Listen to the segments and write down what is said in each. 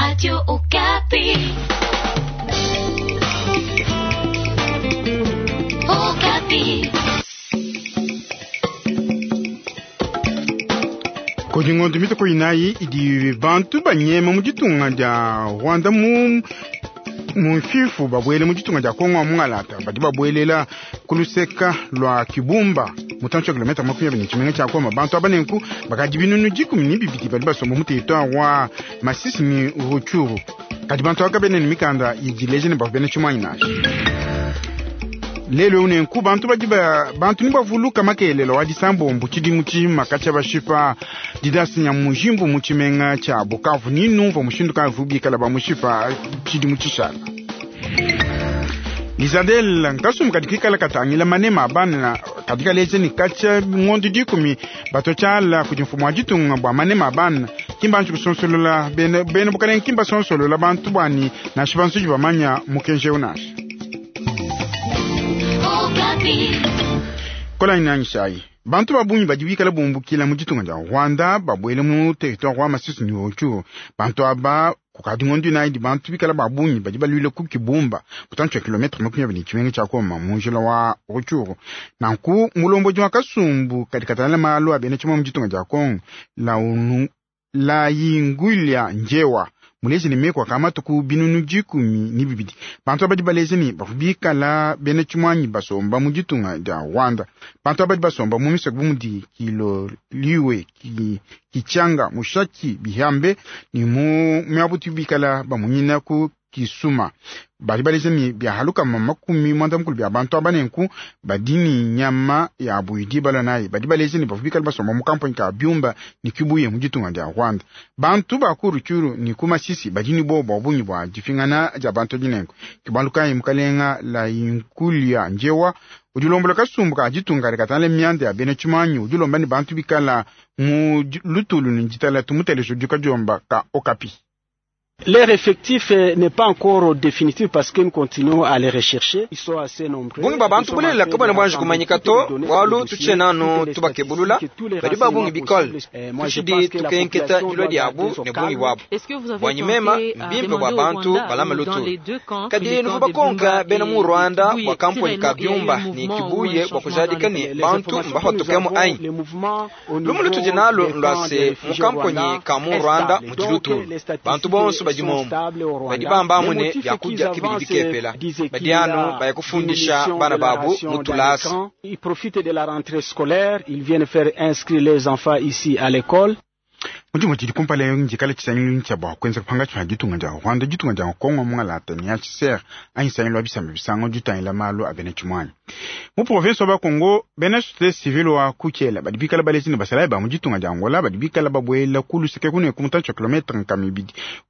Radio Okapi. Okapi. Kudi ngondo mitoko inayi idi bantu banyema mu ditunga dia Rwanda mu mfifu babwele mu ditunga dia Kongo mungalata badi babwelela ku luseka lwa Kibumba mutantshi wa kilomita 20 tshimenga tshia Goma. Bantu aba nenku bakadi binunu 12 badi basomba mu territoire wa Masisi ni Rutshuru. Kadi bantu aba kabena ne mikanda idi ileja ne bavua bena tshimuangi nansha. Lelu eu nenku bantu badi ba bantu ni bavuluka makelelo wa disambombo tshidimu tshijima katshia bashipa Didas Nyamujimbu mu tshimenga tshia Bukavu. Ni numvua mushindu kayi bikala bamushipa tshidimu tshishala. Lizadel nkasumbu kadi kikala katangila manema a bana kadi kaleja ne katshia ngondo 10 bato tshiala kudi mfumu wa ditunga bua manema a bana kimba anji kusonsolola bena bena bukalenge kimba sonsolola bantu bwani nansha bansuji bamanya mukenji eu nansha. Kola inangishayi bantu babungi badi bikala bumbukila mu ditunga dia Rwanda babwele mu territoire wa Masisi ni Rutshuru. Bantu aba kukadi ngondo inayi di bantu bikala babungi badi baluile ku Kibumba mutantshi wa kilometre 20 tshimenga tshia Goma mu njila wa Rutshuru. Nanku mulombodi wa kasumbu kadi katangila malu a bena tshimue mu ditunga dia Kongo Layingulia Njewa muleje ne meko akamatuku binunu 12. Bantu abadi baleje ne bavua bikala bena tshimuanyi basomba mu ditunga dia Rwanda. Bantu abadi basomba mu misoko bu mudi Kiloliwe, Kichanga, Mushaki, Bihambe ni mu miabutu bikala bamunyina ku Kisuma. Badi baleje ne byahaluka 90 bya bantu aba nenku badi ni nyama ya buidi balwa nayi. Badi baleje ne bavua bikala basomba mu kampani ka Byumba ni Kibuye mu ditunga dia Rwanda. Bantu ba ku Rutshuru ni ku Masisi badi ni bobo bwa bungi bwa difingana dia bantu dinenku. Kibalukayi mukalenga Layinkulia Njewa udi ulombola kasumbu ka ditunga katangila mianda ya bena tshimuanyi udi ulomba ne bantu bikala mu lutulu ne ditala tumuteleja udi kadiomba ka Okapi. Leur effectif n'est pas encore définitif parce que nous continuons à les rechercher. Ils sont assez nombreux. Bungi ba bantu bulelela kabana bwanji kumanyika to bwalu tutshe nanu tubakebulula badi ba bungi bikole tushidi tukenketa dilua diabu ne bungi bwabu bwanyi mema mbimpe bwa bantu balama lutulu kadi nuvu bakonka bena mu Rwanda bwa kampuni ka Byumba ni Kibuye bwa kujadika ne bantu mbahotukemo anyi lumu lutudi nalu ndwase mu kampuni ka mu Rwanda mudi lutulu bantu bonso badi momo badi bambamu ne byakudia kibidi bikepela badi anu baya kufundisha bana babu mutulasa. Ils profitent de la rentrée scolaire, ils viennent faire inscrire les enfants ici à l'école. Mudimu tshidi kumpala njikala tshisangilu tshia bua kuenza kupanga tshia ditunga dia Rwanda ditunga dia Kongo mungalata ne HCR anyi sangilu wa bisamba bisango ditangila malu a bena tshimuanyi. Mu province wa Bakongo bena société civile wa Kuchela badi bikala balezi ne basalayi ba mu ditunga dia Angola badi bikala babwela ku luseke kune ku mutantshi wa kilometre 200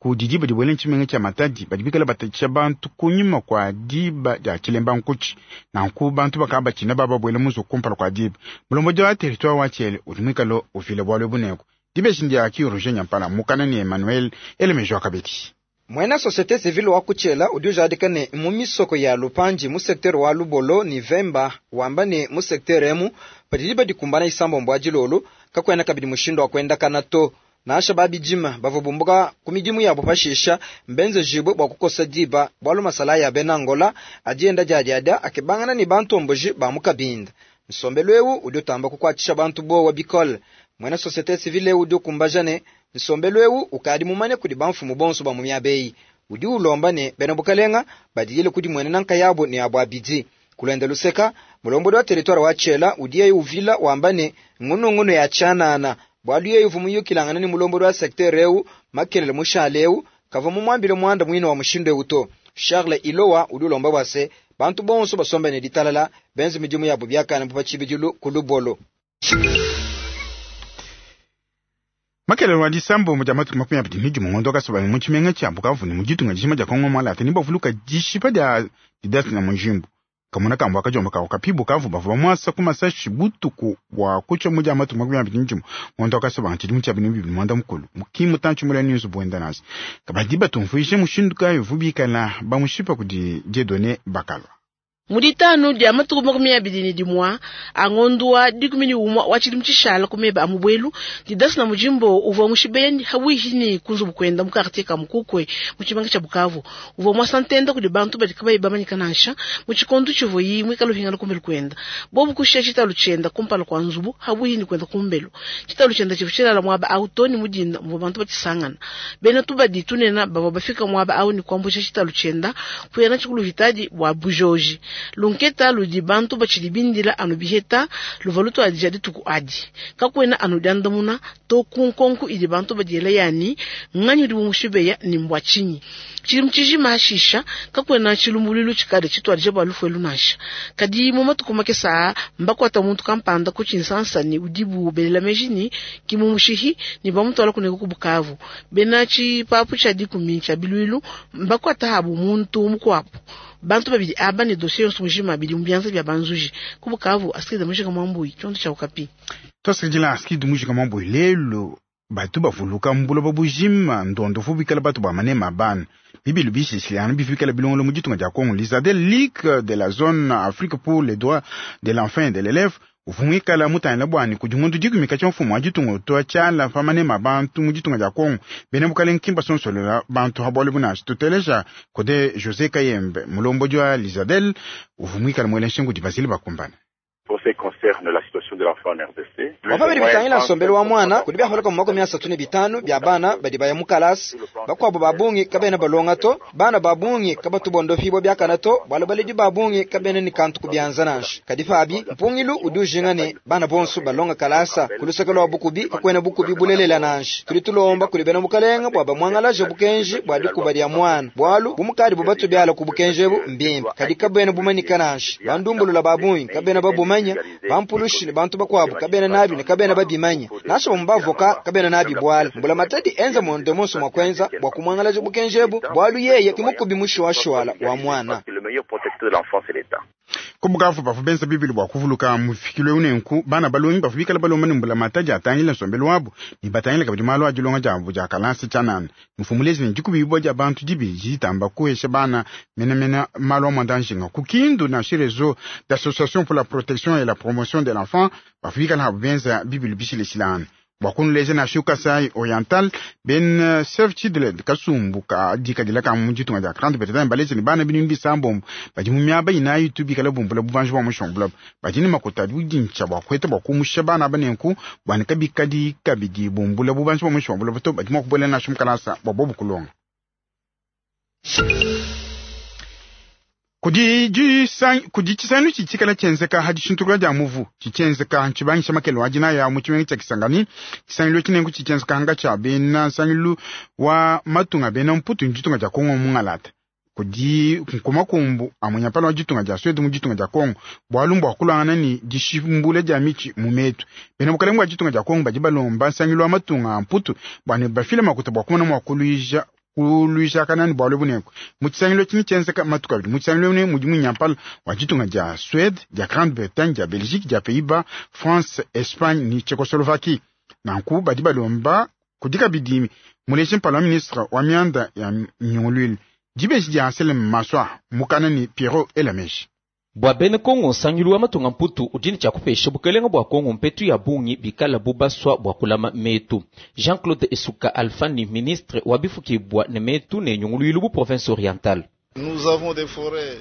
ku didi badi bwela tshimenga tshia Matadi badi bikala batatshisha bantu kunyima kwa diba dia Tshilemba Nkuchi. Nanku bantu bakaba tshina bababwela muzo kumpala kwa diba. Mulombodi wa territoire wa Tshele udi mwikalo ufile bwalo buneko. Dibeshi ndia ki Roger Nyampala mukana ni Emmanuel Elemejo Akabeti. Mwena société civile wa Kuchela udi ujadika ne mu misoko ya Lupanji mu secteur wa Lubolo ni Vemba wamba ne mu secteur emu padidi badikumbana isambombo ya dilolo kakwena kabidi mushindo wa kwenda kana to nasha babijima bavubumbuka ku midimu yabo pashisha mbenze jibwe bwa kukosa diba bwalu masala ya bena Angola adienda diadiadia akebangana ni bantomboji ba mukabinda. Nsombelu eu udi utamba kukwatshisha bantu bowa bikole. Mwena société civile udi ukumbaja ne nsombelu eu ukadi mumane kudi bamfumu bonso ba mu miabeyi udi ulomba ne bena bukalenga badiyile kudi mwene nanka yabo ne abo abidi. Kulenda luseka mulombodi wa territoire wa Tshela udi yeye uvila wamba ne ngunungunu ya tshanana bwalu yeye uvu muyukilangana ne mulombodi wa secteur eu makelele mushale eu kava mumwambile mwanda mwino wa mushindo eu to. Charles Ilowa udi ulomba bwase bantu bonso basomba ne ditalala benze midimu yabo byakana bupatshibidilu ku Lubolo. Makelele wa disambo mu dia matuku 21 ngondo kasoba mu tshimenga tshia Bukavu ne mu ditunga dijima dia Kongo mwalata ni bavuluka dishipa dia Didas na Mujimbu. Kamuna kambo akajomba kawo kapi Bukavu bavua bamwasa ku masashi butuku bwa kutsha mu dia matuku 21 ngondo kasoba tshidimu tshia binu bibili mwanda mukulu. Mukimu tantshi mula news buenda nasi. Kabadi batumvuishe mushindu kayi vubikala bamushipa kudi Dieudonné Bakalwa. Mu ditanu dia matuku 21 a ngondu wa 11 wa tshidimu tshishala ku meba a mubwelu, Didas na Mujimbo uvua mushibeya hawihi ni kunzubu kwenda mu quartier ka Mukukwe mu tshibanga tsha Bukavu. Uvua mwasantenda kudi bantu badi kabayi bamanyika nansha mu tshikondo tshivuyi mwikala uhingana kumbelu kwenda. Bobu kushia tshitalu tshienda kumpala kwa nzubu hawihi ni kwenda kumbelu. Tshitalu tshienda tshivu tshilala mwaba au toni mudinda muvua bantu batshisangana. Bena tubadi tunena bavua bafika mwaba au ni kuambusha tshitalu tshienda kuyana tshikulu hitadi bwa bujoji. Lunketa ludi bantu bachili bindila anu biheta luva lutu adija dituku adi. Kakwena anu diandamuna to kunkonku idi bantu badiela yani nganyi udi bumushibeya ni mbwa chinyi. Chili mchiji mashisha kakwena chilumbululu chikade chitwadije bwa lufu nansha. Kadi mu matuku makesa mbakwata muntu kampanda kuchinsansa ni udibu belela mejini kimumushihi ni bamutwala kuneko kubukavu. Bena chipapu cha dikumi cha bilwilu mbakwata habu muntu mukwapo. Bantu babidi aba ni dossier yonso mujima bidi mbianza bya banzuji kubukavu asikide mujika mwambui chondo cha Okapi. Tosikidila asikide mujika mwambui lelo batu bavuluka mbulo babujima ndondo fubikala batu ba manema bana bibilu bishishilana bifikala bilongolo mu ditunga dia Congo l'Isadel Ligue de la zone Afrique pour les droits de l'enfant et de l'élève uvumwikala mutangila bwani kudi muntu dikumika tsha mfumu wa ditunga toa tshala pa manema bantu mu ditunga dia Congo bena bukalenge kimba sonsolela bantu habole bunashi tuteleja kode José Kayembe mulombo jwa l'Isadel uvumwikala mwele nshingu di Basile bakumbana. Pour ce qui concerne la situation de l'enfant en RDC, wapabili bitangila nsombelo wa mwana kudi byaholeka mu makumi asatu ne bitanu bya bana badi baya mu kalasi bakwabo babungi kabena balonga to bana babungi kabatubondofibwa byakana to bwalo baledi babungi kabena ni kantu kubyanza nansha kadi fabi mpungilu udi ujinga ne bana bonso balonga kalasa kulusaka lwa bukubi kakwena bukubi bulelela nansha tuli tulomba kuli bena mukalenga bwa bamwangalaje bukenji bwa dikuba lya mwana bwalu bumukadi bubatu byala ku bukenji bu mbimbi kadi kabena bumanika nansha bandumbulula babungi kabena babuma bampulushi ne bantu bakwabo kabena nabi ne kabena babimanya nasho bamubavoka kabena nabi bwala mbula matadi enza monde monso mwakwenza bwa kumwangalaje bukenjebu bwalu yeye kimukubi mushwashwala wa mwana. Kubukavu bafu benza bibili bwa kuvuluka mufikilwe unenku bana balongi bafu bikala balomba ne mbula matadi atangila nsombelo wabo ni batangila kabidi malo adilonga jabo ja kalansi chanana mfumulezi ne dikubi bwa ja bantu dibi jitamba kuhesha bana mena malo amwandanshinga kukindu na réseau d'association pour la protection et la promotion de l'enfant bafu bikala habu benza bibili bishileshilana bwakunuleza na shuka sai oriental ben Save Children kasumbu ka dikadila ka mu ditunga dia Grande Bretagne balezi ni bana binu bisambombo badi mu miaba inayi tubikala bumbula bubanji bwa mushombula badi ni makota budintsha bwa kweta bwa kumusha bana banenku bwani kabikadi kabidi bumbula bubanji bwa mushombula bato badi mwa kubolela na shumkalasa bwa bobu kulonga. Kudi chisanu chichikala chenzeka hadi shintukula dia muvu chichenzeka nchibangisha makelo adina ya mu chimengi cha Kisangani chisangilu chinengu chichenzeka hanga cha bena sangilu wa matunga bena mputu njitunga ja Kongo mungalata kudi nkumakumbu amunyapala wa jitunga ja Swede mu jitunga ja Kongo bwalumbu akulangana ni dishimbule dia michi mu metu bena bukalengu wa jitunga ja Kongo badi balomba sangilu wa matunga mputu bwane bafile makuta bwa kumona mwakuluija kuluisha kanani bwalo buneko mutsangilo chini chenzeka matuka bidi mutsangilo ne mudi munyampala wa jitunga ja Suède ja Grande-Bretagne ja Belgique ja Pays-Bas France Espagne ni Tchécoslovaquie nanku badi balomba kudika bidimi muleshi mpala wa ministre wa mianda ya nyongolwile dibeji dia Anselme Maswa mukana ni Pierrot Elameshi. Bwa bene Kongo nsangilu wa matunga mputu udini cha kupesha bukelenga bwa Kongo mpetu ya bungi bikala bubaswa bwa kulama metu. Jean-Claude Esuka Alfani ministre wa bifukibwa ne metu ne nyunguluilu bu province orientale. Nous avons des forêts.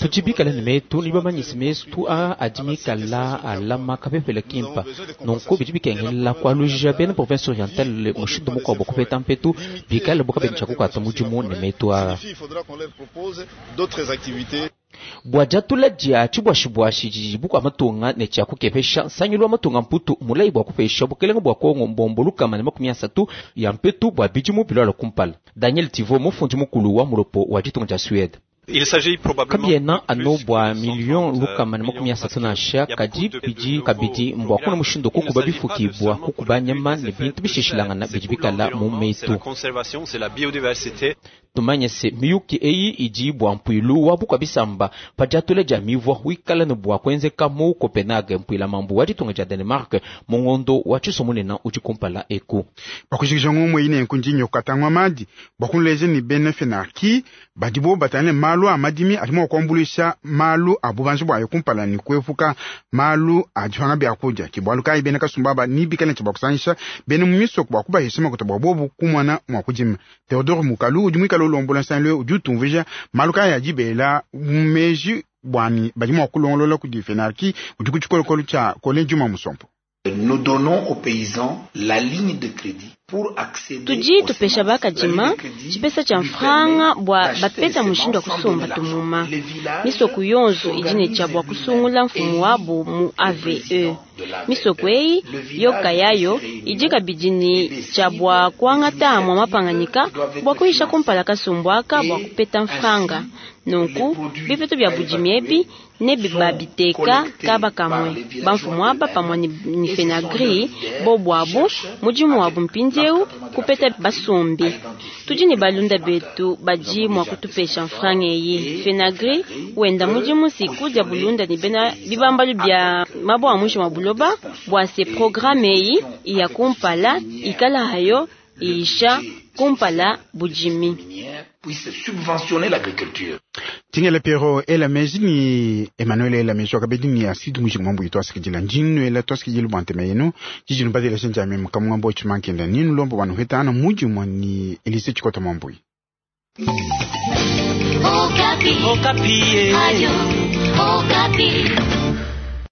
Tutibikala ne metu ni bamanyisi mesu a adimikala alama kapepele kimpa nonko bidi bikengela kwaluja bene province orientale mushindu mukwabo kupeta mpetu bikala bukabencha kukwata mudimu ne metu a. Bwajatula dia chibwashibwashi jijibukwa matunga ne cha kukepesha nsangilu wa matunga mputu mulayi bwa kupesha bukelenga bwa Kongo mbombo lukama ne 30 ya mpetu bwa bidimu bilwala kumpala. Daniel Tivo mufundi mukulu wa mulopo wa ditunga dia Suède. Kabiena ano bwa million lukama ne 30 na sha kadi bidi kabidi mbwa kuna mushindo kukuba bifukibwa kukuba nyama ne bintu bishishilangana bidi bikala mu metu. Tumanye se miyuki eyi idi bua mpuilu wa bukua bisamba pa diatula dia mivua wikala ne bua kuenzeka mu Copenhague, mpuila mambu wa ditunga dia Danemark mu ngondo wa tshisomunena udi kumpala eku. Bakushikisha ngomwe ine nkunji nyokatangwa madi bakunleje ni bena FENARKI badibo batane malu a madimi adi mua kuambuluisha malu a bubanji bwayo kumpala ni kuepuka malu a dipanga bya kudia. Ke bualu kayi bena kasumba aba ni bikale tshia bakusangisha bena mu misoko bua kubahesha makuta bua bobu kumona mua kudima. Theodore Mukalu udi muikale ulombola nsangilu udi utumvuija malu kayi adi bela mu meji bwani badi mua kulongolola kudi FENARKI udi ku tshikolokolo tshia Colin Juma Musompo. Nous donnons aux paysans la ligne de crédit pour accéder tudi tupesha bakadima tshipesa tshia mfranga bua bapeta mushindu wa kusomba tumuma. Misoko yonso idi ne tshia bua kusungula mfumu wabo mu AVE. Misoko eyi yoka yayo idi kabidi ne tshia bua kuangata amua mapanganyika bua kuyisha kumpala kasumbu aka bua kupeta mfranga. Nunku bipetu bia budimi ebi ne babiteka kaba kamwe bamfumu aba pamue ni FENAGRI bobu abu mudimu wabu mpindieu kupeta basombi. Tudi ne balunda betu badi mua kutupesha mfranga eyi. FENAGRI wenda mudimu siku dia bulunda ne bena bibambalu bia mabo a mwisho wa buloba bua se programme eyi iya kumpala ikala hayo iisha kumpala budimi. Puisse subventionner l'agriculture. Tingela Piero ela meji ni Emmanuel ela meji wakabedi ni asidi mujingu mambo yitu asikijila njinu ela tuasikijila bwantema yenu jijinu badila shenja meme kamwa mbo chimankenda ninu lombo wanu hetana muji mwa ni Elise Chikota Mwambui. Okapi. Okapi. Ayo, Okapi.